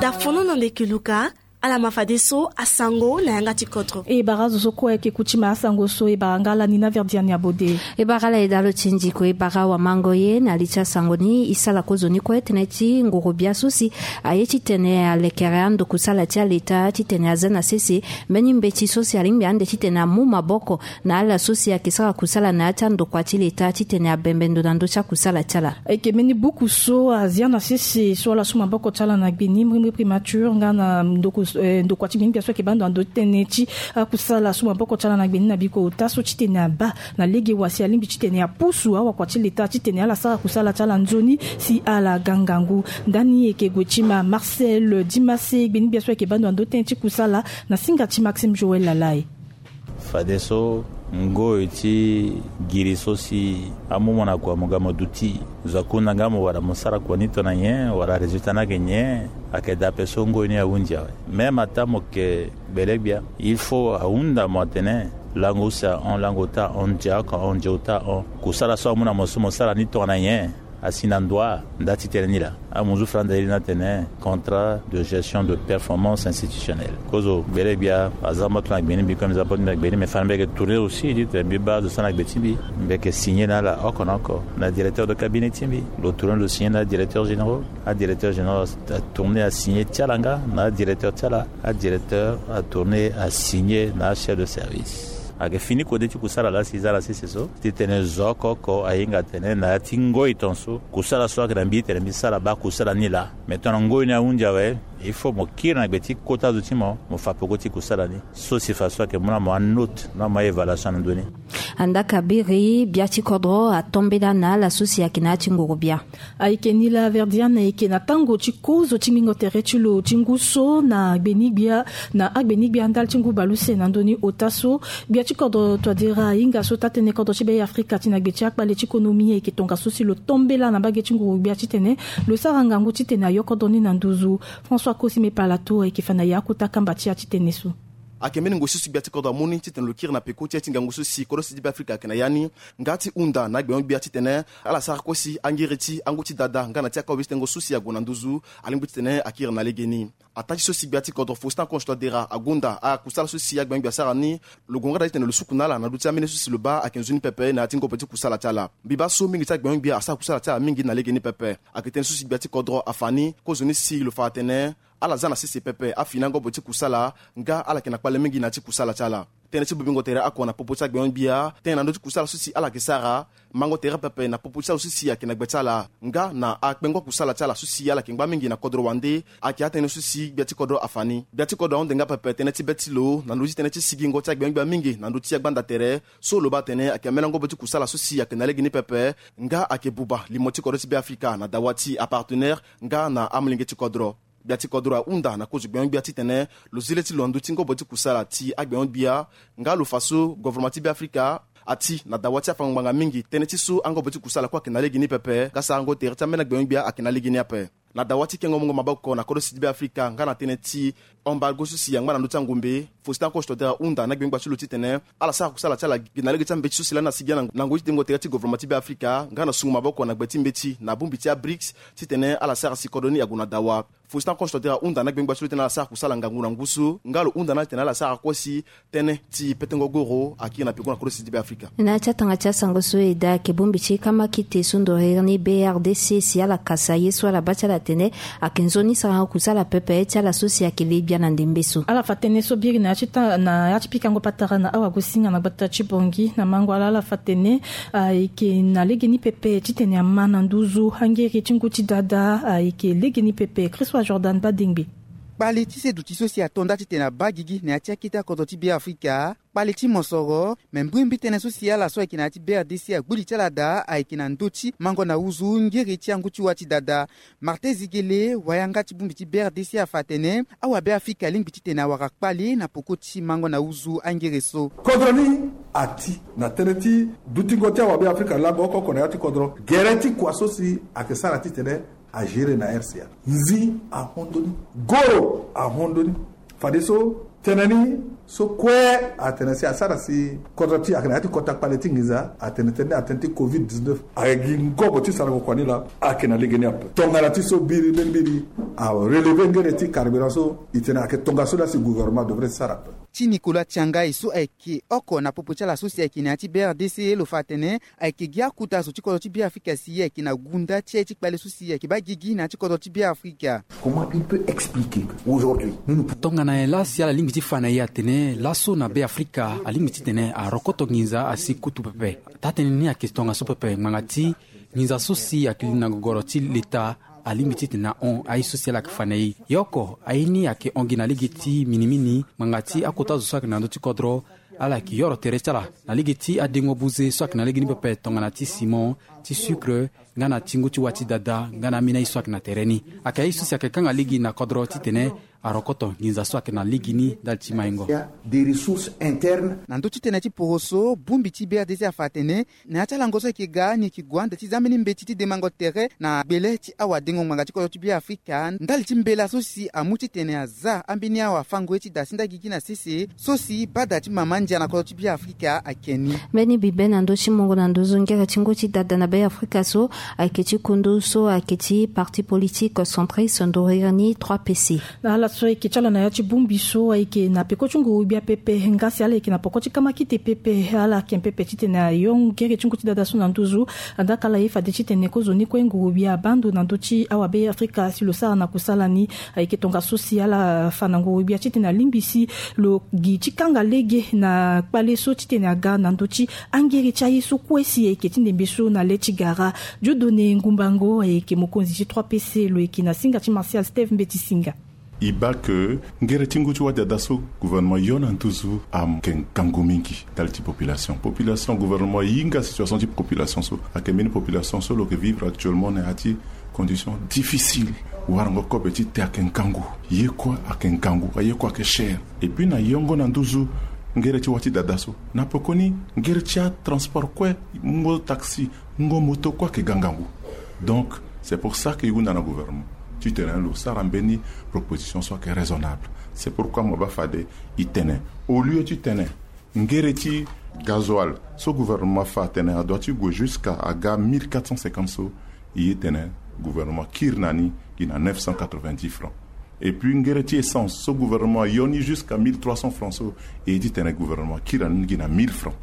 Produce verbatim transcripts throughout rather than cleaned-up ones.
Dafono na ndeke luka. Ala ma fadeso asango na yanga ti kodro. E bara azo so kue ayeke kuti ma asango so e bara nga ala ni na verdiani abode. E bara ala e dalo ti ndiko e bara wamango ye na li ti asango ni e sara kozoni kue tënë ti nguru bia so si aye titene alekere ando kusala ti aleta titene aza na sese mbeni mbeti so si alingbi ande titene amu maboko na ala so si ayeke sara kusala na ya ti andokua ti leta titene abembe ndo na ndö ti akusala ti ala. Ayeke mbeni buku so azia na sese so ala su maboko ti ala na gbe ni mbrimbri primature nga na ndokua ti gbe ni gbia so ayeke baa ndo na ndö ti tënë ti akusala su maboko ti ala na gbe ni na biko ota so titene abaa na lege wa si alingbi titene apusu awakua ti leta titene ala sara kusala ti ala nzoni si ala ga ngangu. Ndani eke gue ti ma marcel dimase gbe ni gbia so ayeke baa ndo na ndö ti tënë ti kusala na singa ti maxime joel lalai. Fadeso ngoi ti giri so si amu mo na kua mo ga mo duti zo akunda nga mo wala mo sara kua ni tongana nyen wala résultat ni ayeke nyen. Ayeke daa ape so ngoi ni ahunzi awe. Même ataa mo yeke gbele gbia il faut ahunda mo atene lango use ahon lango ota ahon ndia oko ahon ndia ota ahon kusala so amu na mo so mo sara ni tongana nyen. Asi na ndua nda ti tënë ni laa amu zu fara nda iri ni atene contrat de gestion de performance institutionnelle. Kozo gbele gbia aza mba to na gbe ni mbi kue mbi za mba to na gbe ni me fana mbi yeke tourner aussi ti tene mbi baa azo so na gbe ti mbi mbi yeke signer na ala oko na oko na directeur de cabinet ti mbi lo tourner lo signer na adirecteur généraux. Adirecteur généraux atourner asigner ti ala nga na adirecteur ti ala. Adirecteur atourner asigner na achef de service. Ayeke fini kode ti kusala laa si za na sese so titene zo oko oko ahinga atene na ya ti ngoi ton so kusala so ayeke na mbi titene mbi sara baa kusala ni laa. Me tongana ngoi ni ahunzi awe il faut mo kiri na gbe ti kota zo ti mo mo fa peko ti kusala ni. So si fa so ayeke mu na mo anote na mo aévaluation na ndö ni. Andaka biri bia ti kodro atombela na ala so si ayeke na ya ti nguru bia. Ayeke ni laa verdiane ayeke na tango ti kozo ti ngbingo tere ti lo ti ngu so na agbeni gbia na agbeni gbia ndali ti ngu baleuse na ndö ni ota so. Gbia ti kodro toadera ahinga so taa-tënë kodro ti be afrika ti na gbe ti akpale ti konomi ayeke tongaso si lo tombela na mbage ti nguru gbia titene lo sara ngangu titene ayo kodro ni na nduzu. François kosime palato ayeke fa na ya akota kamba ti ya ti tënë so. Ayeke mbeni ngoi so si gbia ti kodro amu ni titene lo kiri na peko ti ya ti ngangu so si kodro si ti be afrika ayeke na ya ni. Nga ti hunda na agbengo-gbia titene ala sara kue si angiri ti angu ti dada nga na ti akobe ti tengo so si ague na nduzu alingbi titene akiri na legeni. Ataa ti so si gbia ti kodro faustin conche toadera agonda akusala so si agbengo-gbia asara ni. Lo gue nga daa titene lo suku na ala na ndö ti ambeni so si lo baa ayeke nzoni pepe na ya ti ngobo ti kusala ti ala. Mbi baa so mingi ti agbengo-gbia asara kusala ti ala mingi na legeni pepe. Ayeke tënë so si gbia ti kodro afa ni kozoni si lo fa atene ala za na sese pepe afini angobo ti kusala nga ala yeke na kpale mingi na ya ti kusala ti ala. Tënë ti bobingo tere oko na popo ti agbengo-gbia tënë na ndö ti kusala so si ala yeke sara mango tere pepe na popo ti ala so si ayeke na gbe ti ala nga na akpengo kusala ti ala so si ala yeke ngba mingi na kodro wande. Ayeke atënë so si gbia ti kodro afa ni gbia ti kodro ahunde nga pepe tënë ti be ti lo na ndö ti tënë ti sigingo ti agbengo-gbia mingi na ndö ti agbanda tere. So lo baa atene ayeke ambeni angobo ti kusala so si ayeke na legeni pepe nga ayeke buba limo ti kodro ti be afrika na dawa ti apartenaire nga na amolenge ti kodro. Gbia ti kodro ahunda na kozo gbengo-gbia titene lo zi le ti lo na ndö ti ngobo ti kusala ti agbengo-gbia nga lo fa so governement ti be afrika ati na dawa ti afango ngbanga mingi tënë ti so angobo ti kusala kue ayeke na legeni pepe nga sarango tere ti ambeni agbengo-gbia ayeke na legeni ape. Na dawa ti kengo mungo maboko na kodro si ti be afrika nga na tënë ti embargo so si angba na ndö ti angombe faustin conche toadera hunda na gbengo-gbia ti lo titene ala sara kusala ti ala gi na lege ti ambeti so si lani asigi ya na ngoi ti dengo tere ti governement ti be afrika nga na sungo maboko na gbe ti mbeti na bongbi ti abrics titene ala sara si kodro ni ague na dawa. Faustin conche toadera hunda na gbengo-gbia ti lo titene ala sara kusala ngangu na ngu so nga lo hunda na ala titene ala sara kue si tënë ti petengo goro akiri na peko na kodro si ti be afrika. Na ya ti atanga ti asango so e daa ayeke bongbi ti kamakite so ndoriri ni brdc si ala kasa ye so ala baa ti ala atene ayeke nzoni sarango kusala pepe ti ala so si ayeke le gbia na ndembe so. Ala fa tënë so biri na ya ti pikango patara na awagosinga na gbata ti bongi na mango ala ala fa tënë ayeke na legeni pepe titene ama na nduzu angiri ti ngu ti dada ayeke legeni pepe christois jordan badengbe. Kpale ti se duti so si ato nda titene abaa gigi na ya ti akete akodro ti be afrika. Kpale ti mosoro me mbrimbri tënë so si ala so ayeke na ya ti brdc agbu li ti ala daa ayeke na ndö ti mango na uzu ngiri ti angu ti wa ti dada. Martin zigele wayanga ti bongbi ti brdc afa atene awabe afrika alingbi titene awara kpale na poko ti mango na uzu angiri so. Kodro ni ati na tënë ti dutingo ti awabe afrika lango oko oko na ya ti kodro gere ti kua so si ayeke sara titene agere na rca. Nzi ahondo ni, goro ahondo ni. Fadeso tënë ni So kue atene si asara si kodro ti ayeke na ya ti kota kpale ti nginza, atene tënë ni atënë ti covid dix-neuf ayeke gi ngobo ti sarango kua ni laa. Ayeke na lege ni ape. Tongana ti so mbiri mbeni mbiri arelever ngere ti carburant so, e tene ayeke tongaso laa si gouvernement devrait sara ape. Ti Nicolas Tiangai so ayeke oko na popo ti ala so si ayeke na ya ti B R D C, lo fa atene ayeke gi akota zo ti kodro ti Beafrika si ayeke na gunda ti aye ti kpale so si ayeke baa gigi na ya ti kodro ti Beafrika. Comment il peut expliquer que aujourd'hui nous nous... Tongana nyen laa si ala lingbi ti fa na e atene laso na Beafrika alingbi titene arokoto nginza asi kutu pepe? Taa-tënë ni ayeke tongaso pepe ngbanga ti nginza so si ayeke li na gogoro ti leta alingbi titene ahon aye so si ala yeke fa na e. Ye oko aye ni ayeke hon gi na lege ti minimini ngbanga ti akota zo so ayeke na ndö ti kodro. Ala yeke yoro tere ti ala na lege ti adengo buze so ayeke na lege ni pepe tongana ti ciment, ti sucre, nga na ti ngu ti wa ti dada nga na ambeni aye so ayeke na tere ni. Ayeke aye so si ayeke kanga lege na kodro titene arokoto nginza so ayeke na lege ni ndali ti maingo. Des ressources internes. Na ndö ti tënë ti poroso, bongbi ti B R D C afa atene na ya ti alango so ayeke ga ni yeke gue ande ti zia mbeni mbeti ti demango tere na gbele ti awadengo ngbanga ti kodro ti Beafrika ndali ti mbela so si amu titene aza ambeni awafango ye ti da si nda gigi na sese so si bada ti mama ndia na kodro ti Beafrika ayeke ni. Mbeni bibe na ndö ti mungo na nduzu ngere ti ngu ti dada na Beafrika so ayeke ti kundu so ayeke ti parti politique centriste ndorira ni trois P C. Na ala so ayeke ti ala na ya ti bongbi so ayeke na peko ti nguru-gbia pepe nga si ala yeke na poko ti kamakite pepe, ala yeke pepe titene ayo ngere ti ngu ti dada so na nduzu. Andaka ala ye fade titene kozoni kue nguru-gbia abaa ndo na ndö ti awabeafrika si lo sara na kusala ni. Ayeke tongaso si ala fa na nguru-gbia titene alingbi si lo gi ti kanga lege na kpale so titene aga na ndö ti angere ti aye so kue si ayeke ti ndembe so na le ti gara. Dieudonné Ngumbango ayeke mokonzi ti trois P C, lo yeke na singa ti Martial Steve Mbeti Singa. E baa ke ngere ti ngu ti wadada so gouvernement yo na nduzu ayeke ngangu mingi ndali ti population. Population, gouvernement ahinga situation ti population so. Ayeke mbeni population so lo yeke vivre actuellement na ya ti condition difficile. Warango kobe ti te ayeke ngangu. Ye kue ayeke ngangu, aye kue ayeke cher. Et puis na yongo na nduzu ngere ti wa ti dada so, na pekoni ngere ti atransport kue, ngo taxi, ngo moto kue ayeke ga ngangu. Donc c'est pour ça que e hunda na gouvernement titene lo sara mbeni proposition so ayeke raisonnable. C'est pourquoi mo baa fade e tene, au lieu titene ngere ti gasoil so gouvernement afa atene adoit ti gue jusqu'à aga mille quatre cent cinquante so, e ye tene gouvernement akiri na ni gi na neuf cent quatre-vingt-dix francs. Et puis ngere ti essence so gouvernement ayo ni jusqu'à mille trois cents francs so, e ye titene gouvernement akiri na ni gi na mille francs.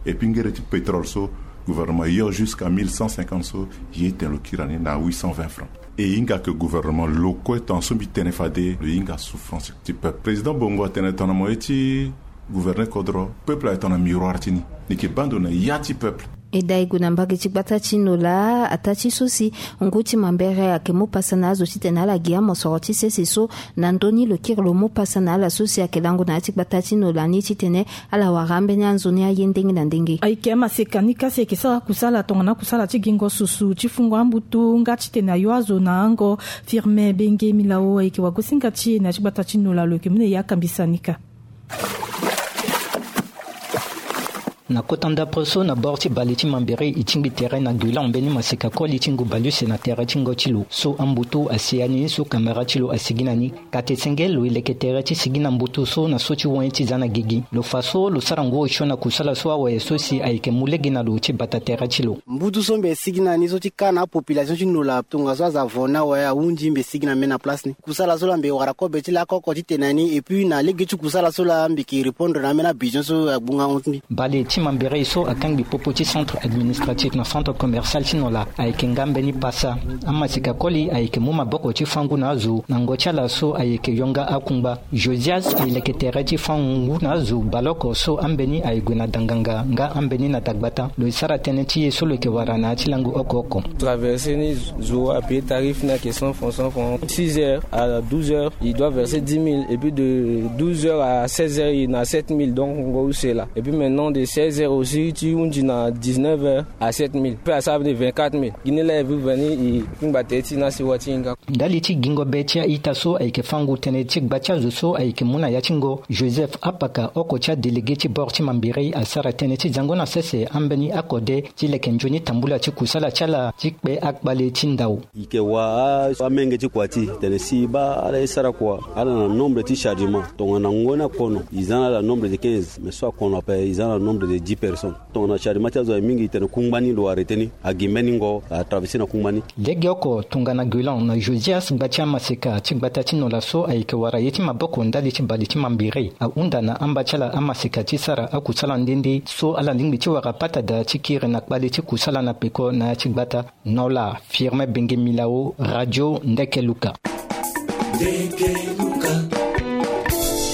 Et puis ngere ti pétrole so gouvernement ayo jusqu'à mille cent cinquante so, e ye tene lo kiri na ni na huit cent vingt francs. E hinga ke gouvernement lo kue, tongana so mbi tene fade, lo hinga souffrance ti peuple. Président Bongo atene tongana mo ye ti gouverner kodro, peuple ayeke tongana miroir ti ni. Ni yeke baa ndo na ya ti peuple. E dai gue na mbage ti gbata ti Nola, ataa ti so si ngu ti mambere ayeke mu pasa na azo titene ala gi amosoro ti sese so. Na ndö ni lo kiri lo mu pasa na ala so si ayeke lango na ya ti gbata ti Nola ni titene ala wara ambeni anzoni aye ndenge na ndenge. Ayeke amaseka ni ka si ayeke sara kusala tongana akusala ti gingo susu ti fungo ambutu nga titene ayo azo na ango. Firme Benge Milao ayeke wagosinga ti e na ya ti gbata ti Nola, lo yeke mu na e akambisa ni ka. Na kota ndapre so na bord ti bale ti Mambéré, e tingbi tere na Guilan mbeni maseka koli ti ngu bale use na tere ti ngo ti lo so ambutu asi ya ni so kamera ti lo asigi na ni. Kate senge lo e leke tere ti sigi na mbutu so na so ti wen ti za na gigi. Lo fa so lo sara ngu osio na kusala so awe so si ayeke mu lege na lo ti bata tere ti lo. Mbutu so mbi sigi na ni so ti ka na apopulation ti Nola tongaso aza vo ni awe ahunzi mbi sigi na mbeni na place ni. Kusala so laa mbi wara kobe ti laa oko oko ti tene na ni, et puis na lege ti kusala so laa mbi yeke répondre na ambeni abesoin so agbunga hon ti mbi. Bale ti Mambéré so akangbi popo ti centre administratif na centre commercial ti Nola ayeke nga mbeni pasa. Amaseka koli ayeke mu maboko ti fâ ngu na azo na ngo ti ala so ayeke yo nga akungba. Josias e leke tere ti fâ ngu na azo baleoko so ambeni aye gue na danganga nga ambeni na dagbata. Lo e sara tënë ti ye so lo yeke wara na ya ti lango oko oko. Traverser ni, zo apayer tarif ni ayeke cent francs, cent francs. Six heures à douze heures, il doit verser dix mille, et puis de douze heures à seize heures, il est à sept mille, donc ngo use laa. Et puis maintenant de Zéro aussi ti hunzi na dix-neuf heures à sept mille, pe asara ni vingt-quatre mille. Gi ni laa e vivre ni, e kpingba tere ti na sewa ti hinga. Ndali ti gingo be ti a-ita so ayeke fango tënë ti gba ti azo so ayeke mu na ya ti ngo, Joseph Apaka, oko ti adélégué ti bord ti Mambéré, asara tënë ti zango na sese ambeni akode ti leke nzoni tambula ti kusala ti ala ti kpe akpale ti ndau. E yeke wa amenge ti kua ti e tene si e baa ala e sara kua, ala na nombre ti chargement tongana ngoni akono e za na ala nombre de quinze, mais so akono ape e za na nombre de dix personnes. Tongana chargement ti azo aye mingi, e tene kungba ni lo arrêté ni, agi mbeni ngo atraverser na kungba ni. Legeoko tongana Guélan na Josias gba ti amaseka ti gbata ti Nola so ayeke wara ye ti maboko ndali ti bale ti Mambéré, ahunda na amba ti ala amaseka ti sara akusala nde nde so ala lingbi ti wara pata daa ti kiri na kpale ti kusala na peko na ya ti gbata. Nola, Firmin Benge Milao, Radio Ndeke Luka.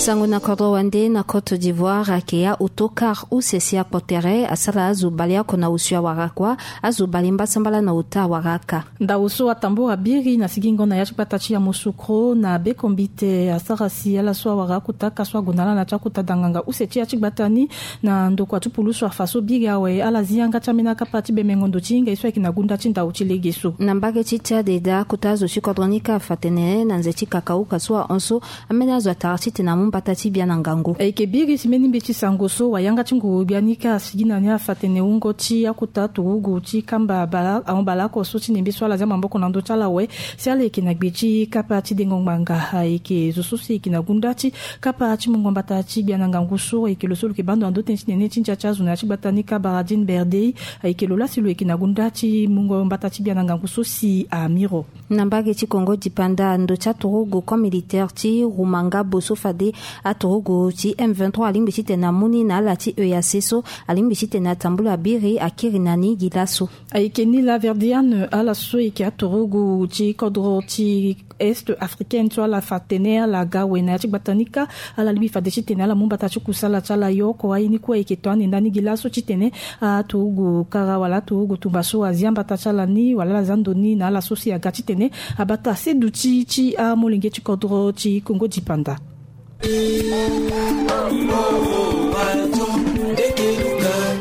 Sango na kodro wande na Côte d'Ivoire ayeke ya autocar use si akpo tere asara azo baleoko na osio awara kua, azo bale mbasambala na ota awara aka. Ndao so atambura biri na sigingo na ya ti gbata ti Yamoussoukro na bekombite asara si ala so awara akota aka so ague na ala na ti akota danganga use ti ya ti gbata ni na ndokua ti pulusu afa so biri awe ala zi yanga ti ambeni akapa ti bemengo ndo ti hinga ye so ayeke na gunda ti ndao ti lege so. Na mbage ti Tchad daa akota azo ti kodro ni kâ afa tene na nze ti kakauka so ahon so, ambeni azo atara titene amu mbata ti bia na ngangu. Ayeke biri si mbeni mbi ti sango so wayanga ti nguru gbia ni kâ asigi na ni afa tene wungo ti akota turugu ti kamba bala ahon baleoko so ti nembe so ala zia maboko na ndö ti ala awe. Si ala yeke na gbe ti kapa ti dengo ngbanga ayeke zo so si e yeke na gunda ti kapa ti mungo mbata ti gbia na ngangu so ayeke lo so lo yeke bando na ndö tënë ti nene ti ndia ti azo na ya ti gbata ni kâ Baradine Berdei. Ayeke lo laa si lo yeke na gunda ti mungo mbata ti gbia na ngangu so si amiro. Na mbage ti Congo dipanda ndo ti aturugu camp militaire ti Rumangabo so fade aturugu ti M vingt-trois alingbi titene amu ni na ala ti E A C so alingbi titene atambula biri akiri na ni gi laso. Ayeke ni laa Verdiane ala so yeke aturugu ti kodro ti Est africaine so ala fa tene ala ga awe na ya ti gbata ni kâ ala lingbi fade titene ala mu mbata ti kusala ti ala yo oko aye ni kue ayeke to ande ndani gi laso titene aturugu kara wala aturugu tumba so azia mbata ti ala ni wala ala zia ndo ni na ala so si aga titene abata seduti ti amolenge ti kodro ti Congo dipanda.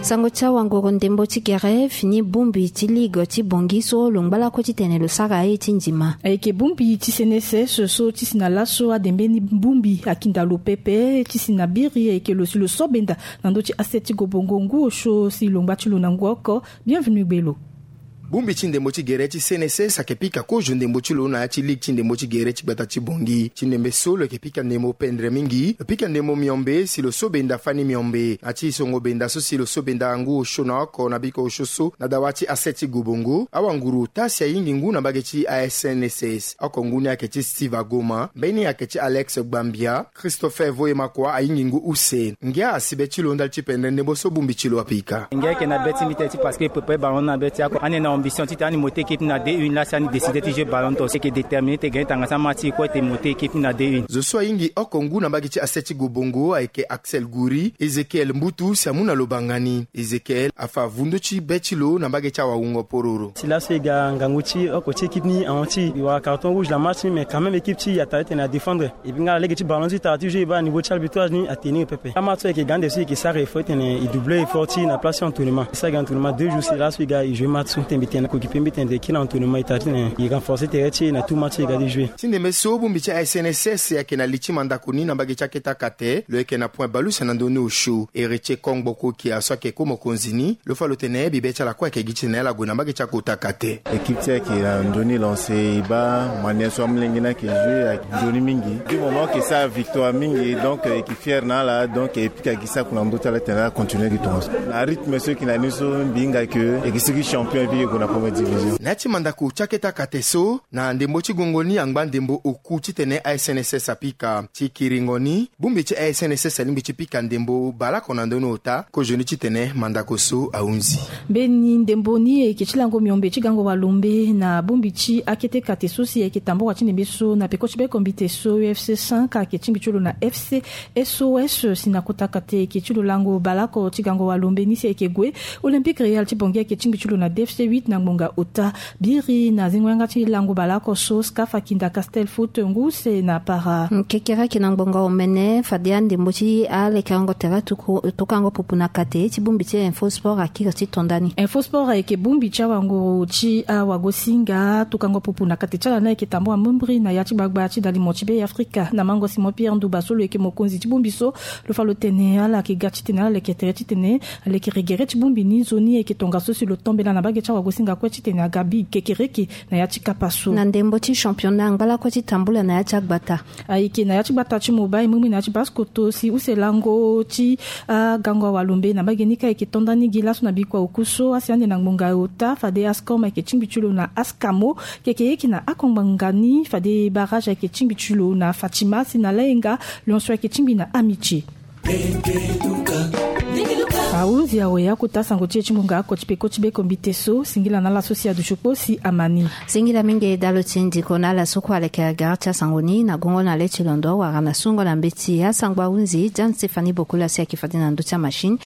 Sango ti awanguru ndembo ti gere fini bongbi ti ligue ti Bangui so lo ngba lakue titene lo sara aye ti ndima. Ayeke bongbi ti C N S S so ti si na laso ade mbeni bongbi akinda lo pepe ti si na biri ayeke lo si lo so benda na ndö ti asse ti gobongo ngu osio si lo ngba ti lo na ngu oko. Bienvenu gbelo. Bongbi ti ndembo ti gere ti C N S S ayeke pika kozo ndembo ti lo na ya ti ligue ti ndembo ti gere ti gbata ti Bangui. Ti ndembe so lo yeke pika ndembo pendre mingi, lo pika ndembo miombe si lo so benda fani miombe. Na ti songo benda so si lo so benda ngu osio na oko na biko osio so na dawa ti asse ti gobongo, awanguru ota si ayingi ngu na mbage ti A S C N S S. Oko ngu ni ayeke ti Steve Agoma, mbeni ayeke ti Alex Gbambia, Christopher Voyemakua ayingi ngu use. Ngia asi be ti lo ndali ti pendre ndembo so bongbi ti lo apika. Ngia ayeke na be ti mbi tene ti parce que prépare ballon na be ti ako. Ande na ambition titene ani monter équipe na D un laa si ani décider ti jouer ballon d'or. Ayeke déterminé ti gagner tanga ti amatch ti kue ti monter équipe na D un. Zo so ayingi oko ngu na mbage ti asse ti gobongo ayeke Axel Goury, Ezekiel Mbutu si amu na lo banga ni. Ezekiel afa vundu ti be ti lo na mbage ti awawungo pororo. Si laso e ga ngangu ti oko ti équipe ni ahon ti e wara carton rouge na match ni, mais quand même équipe ti e atara titene adéfendre. Et puis nga na lege ti ballon ti e tara ti jouer e baa na niveau ti arbitrage ni atenir pepe. Amatch so e yeke ga ande so e yeke sara effort titene e doubler effort ti e na place ti entraînement. E sara gi entraînement deux jours si laso e ga e jouer match so titene mbi tene na coéquipier mbi titene e kiri na entraînement e tara titene e renforcer tere ti e na tout match so e ga ti jouer. Ti ndembe so bongbi ti A S C N S S ayeke na li ti mandako ni na mbage ti akete akate, lo yeke na point bale use na ndö ni osio. Héritier Kongbo Kokia so ayeke ko mokonzi ni, lo fa lo tene bibe ti ala kue ayeke gi titene ala gue na mbage ti akota kate. Équipe ti e ayeke na ndö ni lancé, e baa manière so amolenge ni ayeke jouer ayeke nzoni mingi. Du moment e yeke sara victoire mingi, donc e yeke fier na ala, donc e pika gi saki na ndö ti ala titene ala continuer gi tongaso. Na rythme so e yeke na ni so mbi hinga ke e yeke sigi champion et puis e gue na première division. Na ya ti mandako ti akete akate so, na ndembo ti gongo ni angba ndembo oku titene A S C N S S apika. Ti kiringo ni, bongbi ti A S C N S S alingbi ti pika ndembo baleoko na ndö ni ota, kozo ni titene mandako so ahunzi. Mbeni ndembo ni ayeke ti lango miombe ti gango walombe na bongbi ti akete kate so si ayeke tambula ti ndembe so na peko ti bekombite so U F C cinq ayeke tingbi ti lo na F C S O S si na kota kate ayeke ti lo lango baleoko ti gango walombe ni si ayeke gue. Olympique Real ti Bangui ayeke tingbi ti lo na D F C huit. na ngbonga ota. Biri na zingo yanga ti lango baleoko so, skafa kinda castel foot ngu use na para. Kekereke na ngbonga omene fade andembo ti alekerengo tere tuku- tukango pupu na kate ti bongbi ti info sport akiri ti tonda ni. Info sport ayeke bongbi ti awanguru ti awagosinga tukango pupu na kate ti ala ni ayeke tambula mbrimbri na ya ti gbagba ti dalimo ti be afrika na mango simon pierre nduba so lo yeke mokonzi ti bongbi so. Lo fa lo tene ala yeke ga titene ala leke tere titene alekere gere ti bongbi ni nzoni ayeke tongaso si lo tombela na mbage ti awagosinga kue titene aga bi kekereke na ya ti kapa so. Na ndembo ti championnat angba lakue ti tambula na ya ti agbata. Ayeke na ya ti gbata ti mobai mbrimbri na ya ti baskoto si use lango ti agango awalombe na mbage ni ka ayeke tonda ni gi laso na bikua oku so asi ande na ngbonga ota fade ascom ayeke tingbi ti lo na ascamo. Keke yeke na akongbanga ni fade barrage ayeke tingbi ti lo na fatima si na layenga. Lionso ayeke tingbi na amitie. Ahunzi awe akota sango ti e ti ngonga ako ti peko ti be kombite so singila na ala so si aduti kpo si ama ni. Singila mingi dalo ti ndiko na ala so kue aleke agara ti asango ni na gongo na le ti londo wala na sungo na mbeti asangbo ahunzi jan stéphanie bokola si ayeke fade na ndö ti amachine.